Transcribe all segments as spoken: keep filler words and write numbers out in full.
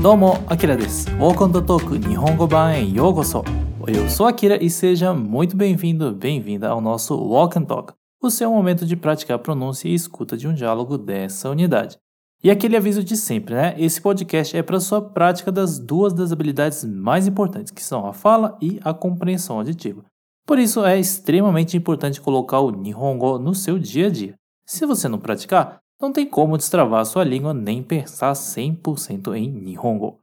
どうも、Akira です。Welcome to Talk 日本語版へようこそ。Eu sou Akira e seja muito bem-vindo, bem-vinda ao nosso Walk and Talk, o seu momento de praticar pronúncia e escuta de um diálogo dessa unidade. E aquele aviso de sempre, né? Esse podcast é para sua prática das duas das habilidades mais importantes, que são a fala e a compreensão auditiva. Por isso, é extremamente importante colocar o Nihongo no seu dia a dia. Se você não praticar, não tem como destravar a sua língua nem pensar cem por cento em Nihongo.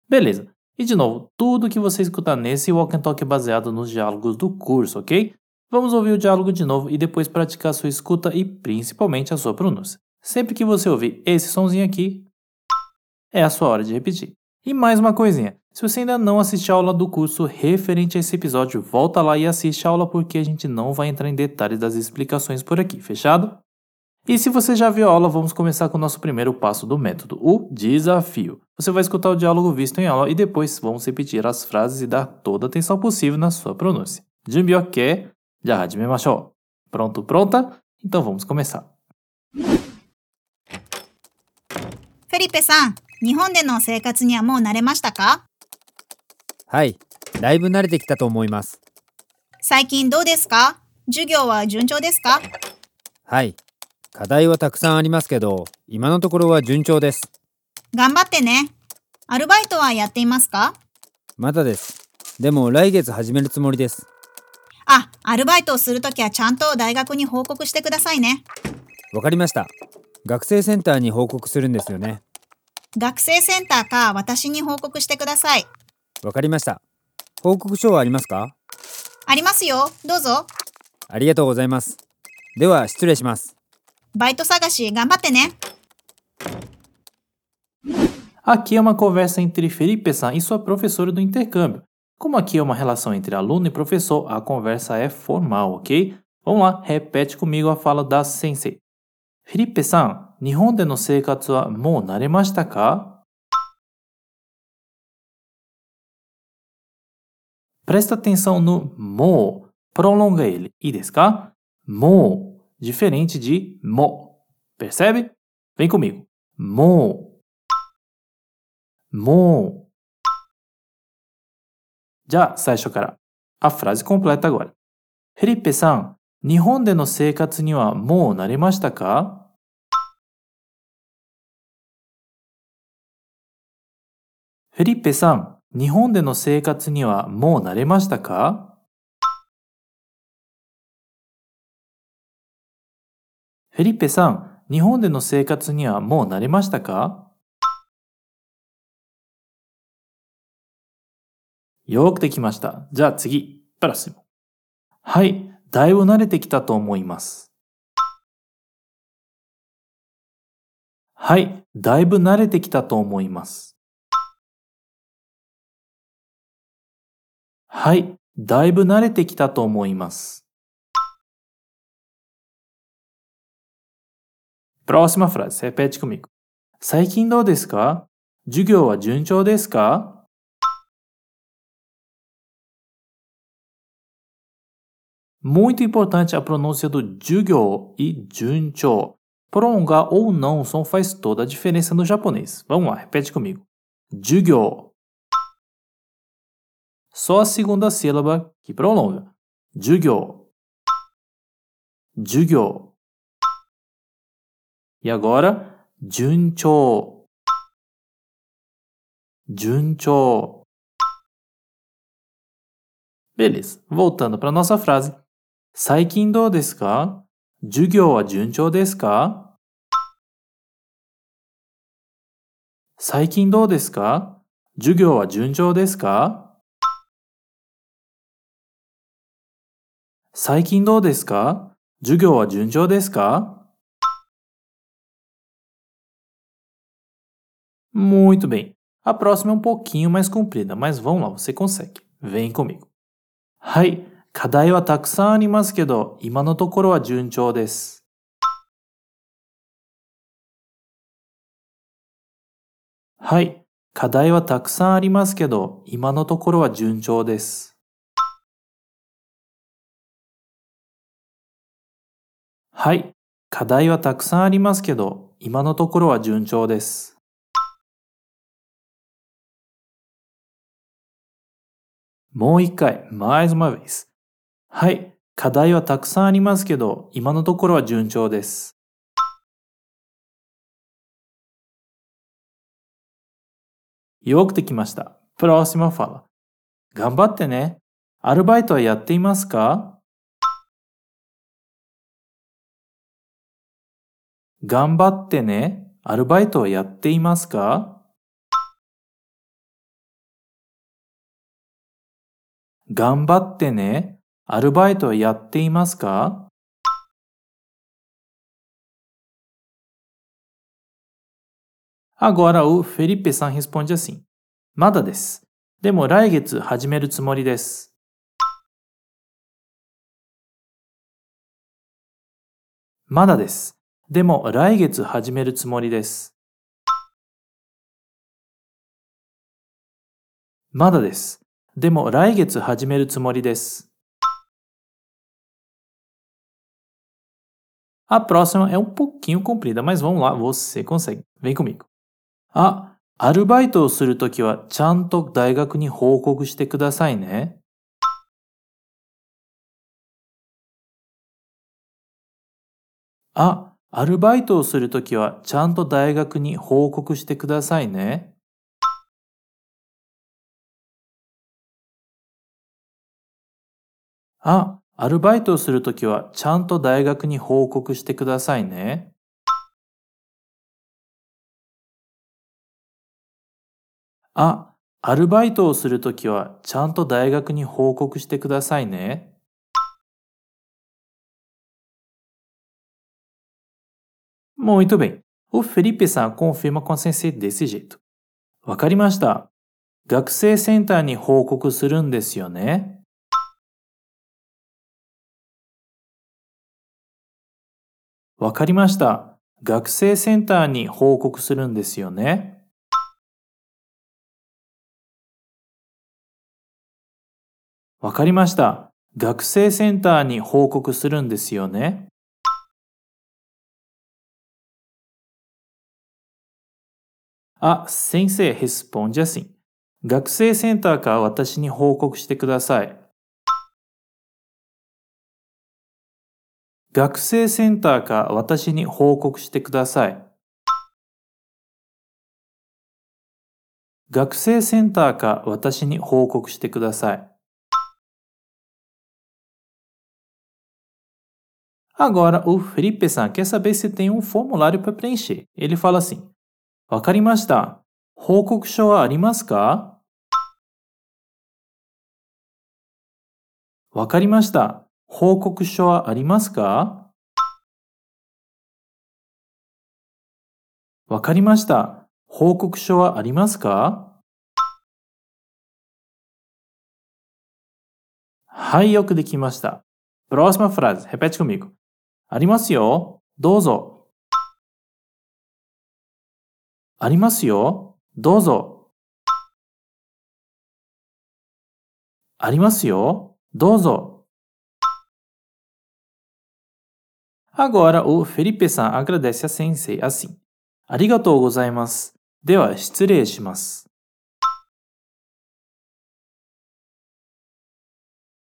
Beleza. E de novo, tudo que você escutar nesse Walk and Talk é baseado nos diálogos do curso, ok? Vamos ouvir o diálogo de novo e depois praticar a sua escuta e principalmente a sua pronúncia. Sempre que você ouvir esse sonzinho aqui, é a sua hora de repetir. E mais uma coisinha, se você ainda não assistiu a aula do curso referente a esse episódio, volta lá e assiste a aula porque a gente não vai entrar em detalhes das explicações por aqui, fechado? E se você já viu a aula, vamos começar com o nosso primeiro passo do método, o desafio. Você vai escutar o diálogo visto em aula e depois vamos repetir as frases e dar toda a atenção possível na sua pronúncia. Junbi ok? Já hajimemashou. Pronto, pronta? Então vamos começar. フェリペさん、日本での生活にはもう慣れましたか？はい、だいぶ慣れてきたと思います。最近どうですか？授業は順調ですか？はい、課題はたくさんありますけど、今のところは順調です。頑張ってね。アルバイトはやっていますか？まだです。でも来月始めるつもりです。あ、アルバイトをするときはちゃんと大学に報告してくださいね。わかりました。学生センターに報告するんですよね。学生センターか私に報告してください。わかりました。報告書はありますか？ありますよ。どうぞ。ありがとうございます。では失礼します。バイト探し頑張ってね。Aqui é uma conversa entre Felipe-san e sua professora do intercâmbio. Como aqui é uma relação entre aluno e professor, a conversa é formal, ok? Vamos lá, repete comigo a fala da sensei. Felipe-san, 日本での生活はもう慣れましたか? Presta atenção no mo, prolonga ele, e desu ka? Mo, diferente de mo, percebe? Vem comigo. Mo, mo. Já, 最初から。A frase completa agora. Felipe-san, 日本での生活にはもう慣れましたか? Felipe-san, 日本での生活にはもう慣れましたか? Felipe-san, 日本での生活にはもう慣れましたか? よくできました。じゃあ次、プラス。はい、だいぶ慣れてきたと思います。はい、だいぶ慣れてきたと思います。はい、だいぶ慣れてきたと思います。Próxima frase, repete comigo. 最近どうですか? 授業は順調ですか? Muito importante a pronúncia do jugyo e junchou. Prolongar ou não o som faz toda a diferença no japonês. Vamos lá, repete comigo. Jugyo. Só a segunda sílaba que prolonga. Jugyo. Jugyo. E agora, junchou. Junchou. Beleza, voltando para a nossa frase. 最近どうですか? 授業は順調ですか? 最近どうですか? 授業は順調ですか? 最近どうですか? 授業は順調ですか? Muito bem. A próxima é um pouquinho mais comprida, mas vamos lá, você consegue. Vem comigo. はい、課題はたくさんありますけど、今のところは順調です。はい、課題はたくさんありますけど、今のところは順調です。はい、課題はたくさんありますけど、今のところは順調です。もう一回、mais uma vez。はい、課題はたくさんありますけど、今のところは順調です。よくできました。Próxima fala。頑張ってね。アルバイトはやっていますか？頑張ってね。アルバイトはやっていますか？頑張ってね。アルバイトはやっていますか？ Agora o Felipe-san responde assim. まだです。でも来月始めるつもりです。まだです。でも来月始めるつもりです。まだです。でも来月始めるつもりです。A próxima é um pouquinho comprida, mas vamos lá, você consegue. Vem comigo. あ、アルバイトをするときはちゃんと大学に報告してくださいね。あ、アルバイトをするときはちゃんと大学に報告してくださいね。あ、アルバイトをするときはちゃんと大学に報告してくださいね。あ、アルバイトをするときはちゃんと大学に報告してくださいね。Muito bem. O Felipe-san confirma com a sensei desse jeito. わかりました。学生センターに報告するんですよね。わかりました。学生センターに報告するんですよね。わかりました。学生センターに報告するんですよね。あ、先生 responde assim. 学生センターか私に報告してください。学生センターか私に報告してください。学生センターか私に報告してください。Agora, o Felipe-san quer saber se tem um formulário para preencher. Ele fala assim: わかりました。報告書はありますか？わかりました。報告書はありますか？わかりました。報告書はありますか？はい、よくできました。Próxima frase. Repete comigo. ありますよ。どうぞ。ありますよ。どうぞ。ありますよ。どうぞ。Agora, o Felipe-san agradece a sensei assim. ありがとうございます。では、失礼します。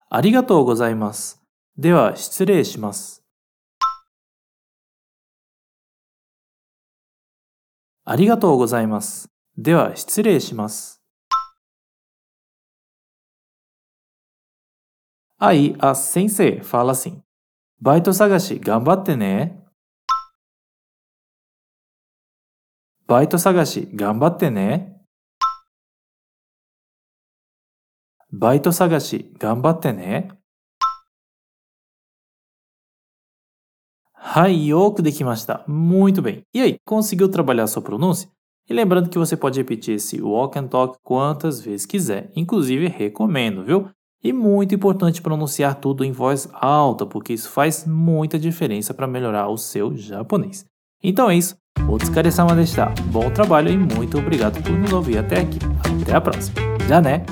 ありがとうございます。では、失礼します。ありがとうございます。では、失礼します。Aí, a sensei fala assim: バイト探し頑張ってね。バイト探し頑張ってね。バイト探し頑張ってね。Hai, yo que de que mais tá. Muito bem. E aí, conseguiu trabalhar sua pronúncia? E lembrando que você pode repetir esse walk and talk quantas vezes quiser. Inclusive, recomendo, viu? E muito importante pronunciar tudo em voz alta, porque isso faz muita diferença para melhorar o seu japonês. Então é isso. Otsukaresama deshita. Bom trabalho e muito obrigado por nos ouvir até aqui. Até a próxima. Já né?